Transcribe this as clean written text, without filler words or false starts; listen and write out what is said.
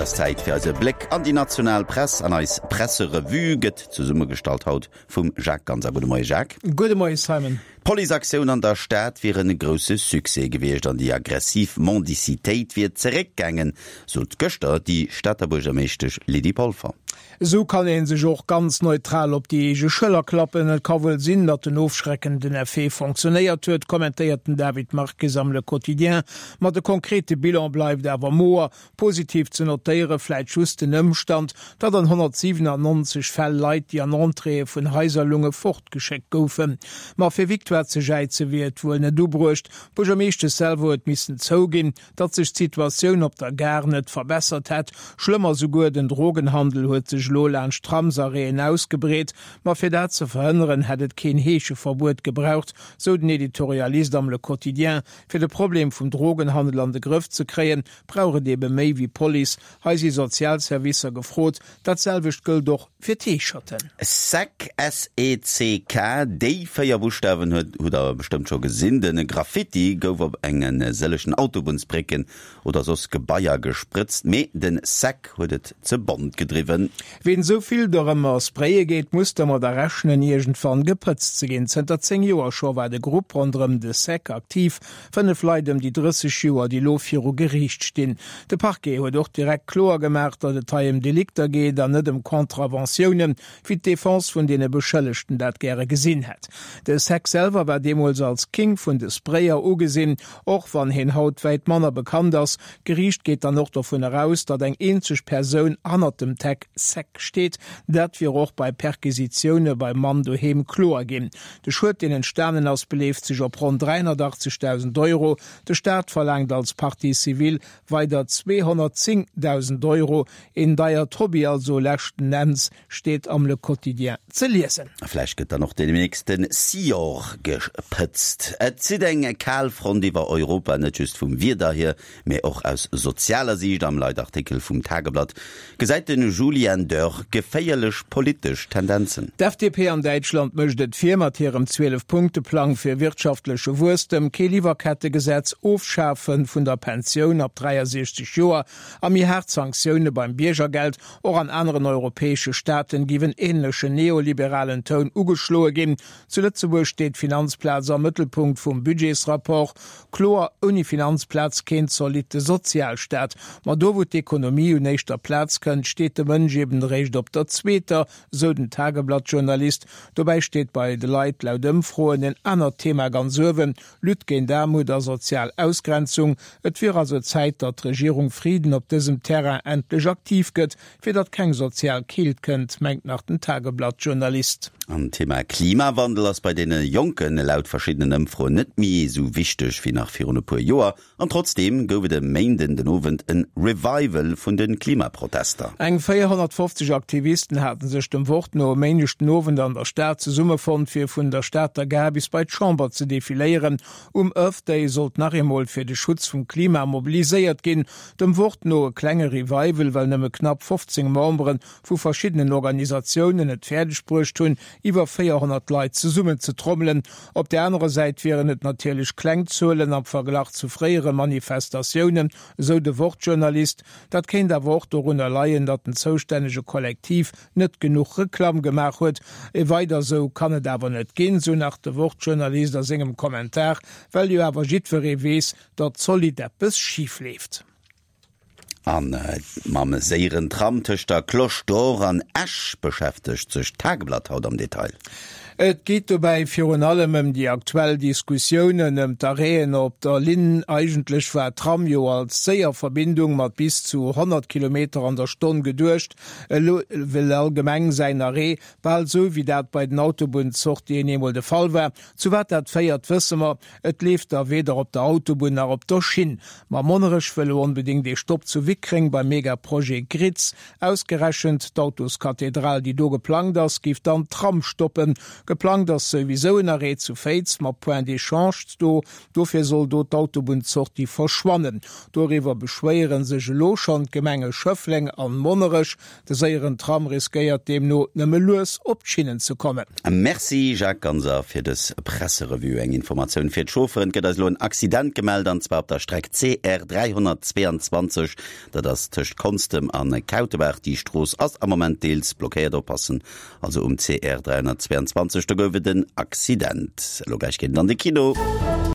Et ass Zäit fir eise Bléck an déi national Press an eis Presserevue gëtt zesummegestallt haut vum Jacques Ganser. Gudde Moie Jacques. Gudde Moie Simon. D'Policeaktioun an der Stad wier en grousse Succès gewiescht an déi aggressiv Mendicitéit wier zeréckgaangen, sot gëschter déi Stater Buergermeeschtesch Lydie Polfer. Esou kann ee sech och ganz neutral op déi eege Schëller klappen. Et ka wuel sinn, datt den ofschreckenden Effet fonctionnéiert huet, kommentéiert den David Marques am Le Quotidien. Ma de konkrete Bilan bleift awer moer. Positiv ze notéiere vläit just den Ëmstand, datt an 197 Fäll Leit, déi an Entréeë vun Haiser lunge, fortgeschéckt goufen. Ma fir Victoire ze jäize wier et wuel net ubruecht. D'Buergermeeschtesch selwer huet missen zouginn, datt sech d'Situatioun op der Gare net verbessert hätt. Schlëmmer souguer, den Drogenhandel huet sech elo laanscht Tramsarrêten ausgebreet. Ma fir dat ze verhënneren, hätt et keen Heescheverbuet gebraucht, sou den Editorialist am Le Quotidien. Fir de Problem vum Drogenhandel an de Grëff ze kréien, brauch et ebe méi wéi Police. Hei si sozial Servicer gefrot. Dat selwecht gëllt och fir d'Heescherten. Sec, S-E-C-K, déi 4 Buschtawen huet hutt der bestëmmt scho gesinn. De Graffiti gouf op enge sëllechen Autobunnsbrécken oder soss Gebaier gesprëtzt, mee de Sec huet et ze bont gedriwwen. Ween esou vill dorëmmer spraye geet, muss dermadder rechnen, iergendwann gepëtzt ze ginn. Zënter 10 Joer scho war de Grupp ronderëm de Sec aktiv. 5 Leit ëm déi 30 Joer, déi elo viru Geriicht stinn. De Parquet huet och direkt kloer gemaach, datt et hei ëm Delikter geet an net ëm Contraventiounen, wéi d'Defense vun deene Beschëllegten dat gäre gesinn hätt. De Sec selwer war deemools als King vun de Sprayer ugesinn, och wann heen haut wäit manner bekannt ass. D'Geriicht geet dann och dovun eraus, datt eng eenzeg Persoun hannert dem Tag Sec steet. Dat wier och bei Perquisitioune beim Mann doheem kloer ginn. De Schued, deen entstanen ass, beleeft sech op ronn 380.000 Euro. De Staat verlaangt als Partie civile weider 210.000 Euro. Een deiert Hobby also leschten Enns, steet am Le Quotidien ze liesen. A vläicht gëtt dann och deemnächst de Sior gepëtzt. Et zitt eng kal Front iwwer Europa, net just vum Wieder hier, mee och aus sozialer Siicht. Am Leitartikel vum Tageblatt gesäit de Julian Dörr geféierlech politesch Tendenzen. D'FDP an Däitschland mécht et vir mat hirem 12 Punkte-Plang fir wirtschaftleche Wuesstem, kee Liwwerkettegesetz, Ofschafe vun der Pensioun ab 63 Joer a méi haart Sanktioune beim Biergergeld. Och an aneren europäesche Staaten géif en änlechen neoliberalen Toun ugeschloe ginn. Zu Lëtzebuerg steet d'Finanzplaz am Mëttelpunkt vum Budgetsrapport. Kloer, ouni Finanzplaz keen zolitte Sozialstaat. Ma do wou d'Ekonomie un éischter Plaz kënnt, steet de Mënsch eben eréischt op der zweeter, sou den Tageblatt-Journalist. Dobäi steet bei de Leit laut Ëmfroen en anert Thema ganz uewen, Lutte géint Aarmut a sozial Ausgrenzung. Et wier also Zäit, datt d'Regierung Frieden op dësem Terrain endlech aktiv gëtt, fir datt keng sozial Keelt kënnt, mengt nach den Tageblatt-Journalist. An d'Thema Klimawandel ass bei deene Jonken laut verschiddenen Ëmfroen net méi esou wichteg wéi nach virun e puer Joer. An trotzdeem gouf et e Méinden den Owend en Revival vun de Klimaprotester. Eng 450 Aktivisten haten sech dem Wort no e Méindeg den Owend an der Stad zesummefonnt, fir vun der Stater Gare bis bei d'Chamber ze defiléieren. Um Earth Day sollt nach eemol fir de Schutz vum Klima mobiliséiert ginn. Dem Wort no e klenge Revival, well nëmme knapp 15 Membere vu verschiddenen Organisatiounen et fäerdeg bruecht hunn, iwwer 400 Leit zesummenzetrommelen. Op där anerer Säit wieren et natierlech kleng Zuelen am Verglach zu fréiere Manifestatiounen, esou de Wort-Journalist. Dat kéint awer och dorunner leien, datt den zoustännege Kollektiv net genuch Reklamm gemaach huet. E weider sou kann et awer net ginn, sou nach de Wort-Journalist a sengem Kommentar, well jo awer jiddweree weess, datt zolidd eppes schif leeft. A mam séieren Tram tëscht der Cloche d'Or an Esch beschäftegt sech d'Tageblatt haut am Detail. Et geet dobäi virun allem ëm déi aktuell Diskussiounen ëm d'Arrêten op der Linn. Eigentlech war d'Tram jo als séier Verbindung mat bis zu 100 Kilometer an der Stonn geduecht. Elo wëll all Gemeng säin Arrêt, bal esou wéi dat bei den Autobunnssortien eemol de Fall war. Zu wat dat féiert, wësse mer. Et leeft da weder op der Autobunn nach op der Schinn. Ma Monnerech wëll elo onbedéngt ee Stopp zu Wickreng beim Megaprojet Gritz. Ausgerechent d'Autoskathedral, déi do geplangt ass, géif dann d'Tram stoppen. Geplangt ass souwisou en Arrêt zu Féiz mat Point d'échange do. Dofir soll do d'Autobunnsortie verschwannen. Doriwwer beschwéiere sech elo schonn d'Gemenge Schëffleng an Monnerech. De séieren Tram riskéiert deemno nëmme lues op d'Schinnen ze kommen. Merci Jacques Ganser fir dës Presserevue. Eng Informatioun fir d'Chaufferen, Et gëtt eis elo en Accident gemellt an zwar op der Streck CR 322, dat ass tëscht Konstem an Kautebaach. Déi Strooss ass am Moment deels blockéiert. Oppassen also um CR 322, do gouf et en Accident. Elo gläich geet et an de Kino.